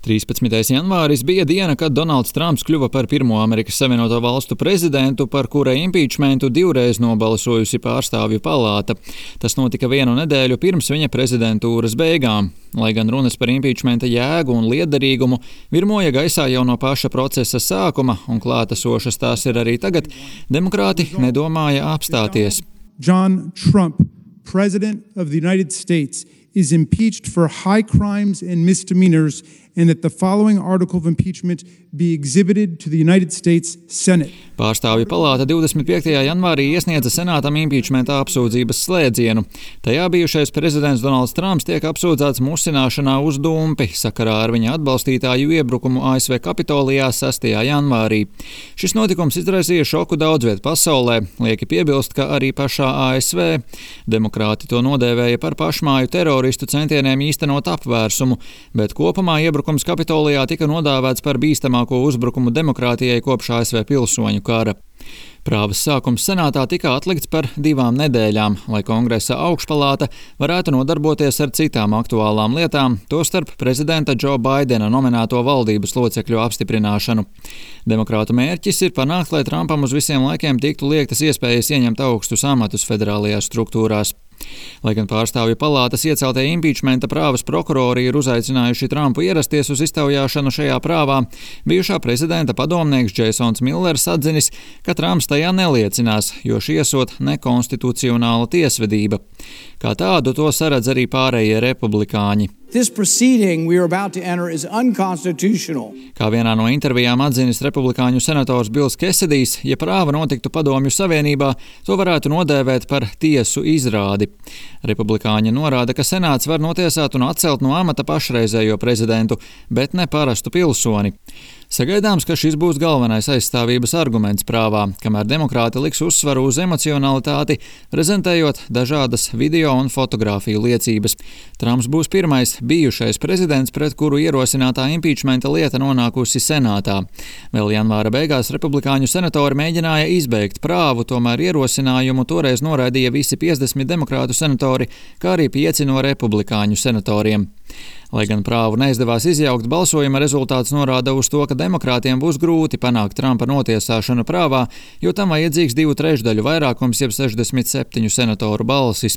13. janvāris bija diena, kad Donalds Trumps kļuva par pirmo Amerikas Savienoto Valstu prezidentu, par kura impīčmentu divreiz nobalsojusi pārstāvju palāta. Tas notika vienu nedēļu pirms viņa prezidentūras beigām. Lai gan runas par impīčmenta jēgu un lietderīgumu virmoja gaisā jau no paša procesa sākuma, un klātesošas tās ir arī tagad, demokrāti nedomāja apstāties. John Trump, President of the United States, is impeached for high crimes and misdemeanors, and that the following article of impeachment be exhibited to the United States Senate. Pārstāvju palāta 25. janvārī iesniedza senātam impīčmenta apsūdzības slēdzienu. Tajā bijušais prezidents Donalds Trumps tiek apsūdzēts musināšanā uz dumpi sakarā ar viņa atbalstītāju iebrukumu ASV Kapitolijā 6. janvārī. Šis notikums izraisīja šoku daudzviet pasaulē, lieki piebilst, ka arī pašā ASV. Demokrāti to nodēvēja par pašmāju teroristu centieniem īstenot apvērsumu, bet kopumā iebrukums Kapitolijā tika nodēvēts par bīstamāko uzbrukumu demokrātijai kopš ASV pilsoņu kara. Prāvas sākums senātā tika atlikts par 2 nedēļām, lai Kongresa augšpalāta varētu nodarboties ar citām aktuālām lietām, tostarp prezidenta Džo Baidena nominēto valdības locekļu apstiprināšanu. Demokrātu mērķis ir panākt, lai Trumpam uz visiem laikiem tiktu liektas iespējas ieņemt augstus amatus federālajās struktūrās. Lai gan pārstāvju palātas ieceltie impīčmenta prāvas prokurori ir uzaicinājuši Trumpu ierasties uz iztaujāšanu šajā prāvā, bijušā prezidenta padomnieks Džeisons Millers atzinis, ka Trumps tajā neliecinās, jo šī esot nekonstitucionāla tiesvedība. Kā tādu to saredz arī pārējie republikāņi. This proceeding we are about to enter is unconstitutional. Kā vienā no intervijām atzinis republikāņu senators Bills Kesedijs, ja prāva notiktu Padomju Savienībā, to varētu nodēvēt par tiesu izrādi. Republikāņi norāda, ka senāts var notiesāt un atcelt no amata pašreizējo prezidentu, bet ne parastu pilsoni. Sagaidāms, ka šis būs galvenais aizstāvības arguments prāvā, kamēr demokrāti liks uzsvaru uz emocionalitāti, prezentējot dažādas video un fotogrāfiju liecības. Trumps būs pirmais bijušais prezidents, pret kuru ierosinātā impīčmenta lieta nonākusi senātā. Vēl janvāra beigās republikāņu senatori mēģināja izbeigt prāvu, tomēr ierosinājumu toreiz noraidīja visi 50 demokrātu senatori, kā arī 5 no republikāņu senatoriem. Lai gan prāvu neizdevās izjaukt, balsojuma rezultāts norāda uz to, ka demokrātiem būs grūti panākt Trumpa notiesāšanu prāvā, jo tam vajadzīgs 2/3 vairākums, jeb 67 senatoru balsis.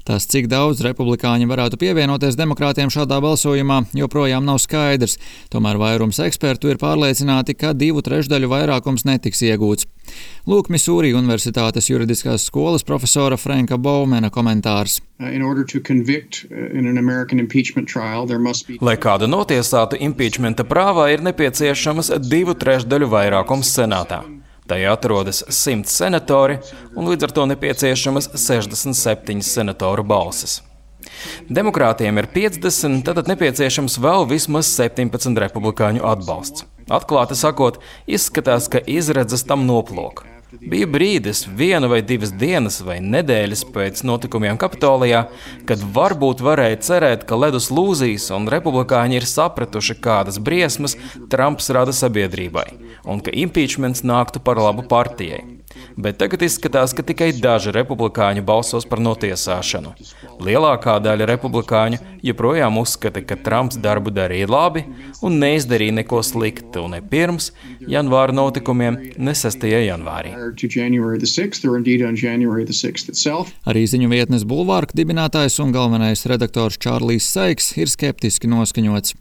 Tas, cik daudz republikāņi varētu pievienoties demokrātiem šādā balsojumā, joprojām nav skaidrs. Tomēr vairums ekspertu ir pārliecināti, ka 2/3 vairākums netiks iegūts. Lūk, Misūri Universitātes juridiskās skolas profesora Franka Baumena komentārs. Lai kādu notiesātu impīčmenta prāvā, ir nepieciešamas 2/3 vairākums senātā. Tajā atrodas 100 senatori un līdz ar to nepieciešamas 67 senatoru balsis. Demokrātiem ir 50, tad nepieciešams vēl vismaz 17 republikāņu atbalsts. Atklāti sakot, izskatās, ka izredzes tam noplok. Bija brīdis, 1 vai 2 dienas vai nedēļas pēc notikumiem Kapitolijā, kad varbūt varēja cerēt, ka ledus lūzīs un republikāņi ir sapratuši, kādas briesmas Trumps rada sabiedrībai un ka impīčments nāktu par labu partijai. Bet tagad izskatās, ka tikai daži republikāņi balsos par notiesāšanu. Lielākā daļa republikāņu joprojām uzskata, ka Trumps darbu darīja labi un neizdarīja neko sliktu ne pirms janvāra notikumiem, ne 6. janvārī. Arī ziņu vietnes Bulvārka dibinātājs un galvenais redaktors Čārlijs Saiks ir skeptiski noskaņots.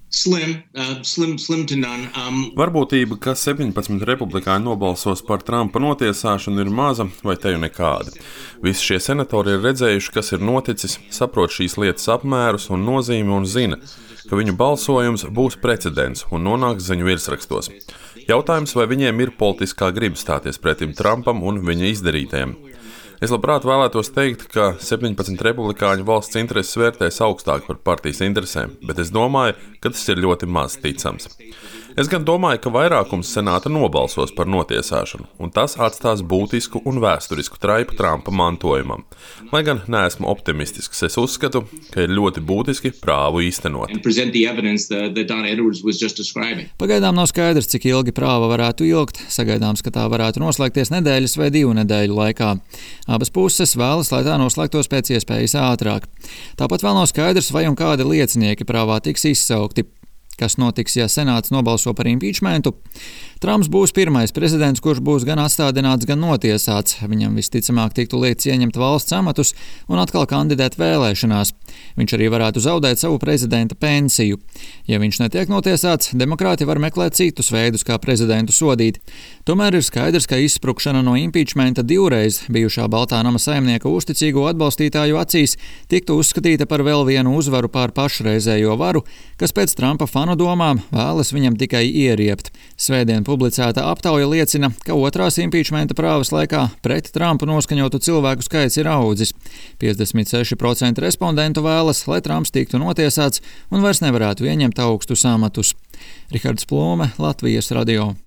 Varbūtība, ka 17 republikāņi nobalsos par Trumpa notiesāšanu, ir maza vai te jau nekāda. Visi šie senatori ir redzējuši, kas ir noticis, saprot šīs lietas apmērus un nozīmi un zina, ka viņu balsojums būs precedents un nonāks ziņu virsrakstos. Jautājums, vai viņiem ir politiskā griba stāties pretim Trumpam un viņa izdarītajiem. Es labprāt vēlētos teikt, ka 17 republikāņu valsts intereses vērtēs augstāk par partijas interesēm, bet es domāju, ka tas ir ļoti maz ticams. Es gan domāju, ka vairākums senāta nobalsos par notiesāšanu, un tas atstās būtisku un vēsturisku traipu Trumpa mantojumam. Lai gan neesmu optimistisks, es uzskatu, ka ir ļoti būtiski prāvu īstenot. Pagaidām nav skaidrs, cik ilgi prāva varētu ilgt. Sagaidāms, ka tā varētu noslēgties nedēļas vai 2 nedēļu laikā. Abas puses vēlas, lai tā noslēgtos pēc iespējas ātrāk. Tāpat vēl nav skaidrs, vai un kādi liecinieki prāvā tiks izsaukti. Kas notiks, ja Senāts nobalso par impeachmentu? Trumps būs pirmais prezidents, kurš būs gan atstādināts, gan notiesāts. Viņam visticamāk tiktu liekts ieņemt valsts amatus un atkal kandidēt vēlēšanās. Viņš arī varētu zaudēt savu prezidenta pensiju. Ja viņš netiek notiesāts, demokrāti var meklēt citus veidus, kā prezidentu sodīt. Tomēr ir skaidrs, ka izsprukšana no impeachmenta divreiz bijušā Baltā nama saimnieka uzticīgo atbalstītāju acīs tiktu uzskatīta par vēl vienu uzvaru pār pašreizējo varu, kas pēc Trumpa fanu domām vēlas viņam tikai ieriept. Svētdien publicēta aptauja liecina, ka otrās impeachmenta prāvas laikā pret Trumpu noskaņotu cilvēku skaits ir audzis. 56% respondentu vēlas, lai Trumps tiktu notiesāts un vairs nevarētu ieņemt augstus amatus. Rihards Plūme, Latvijas radio.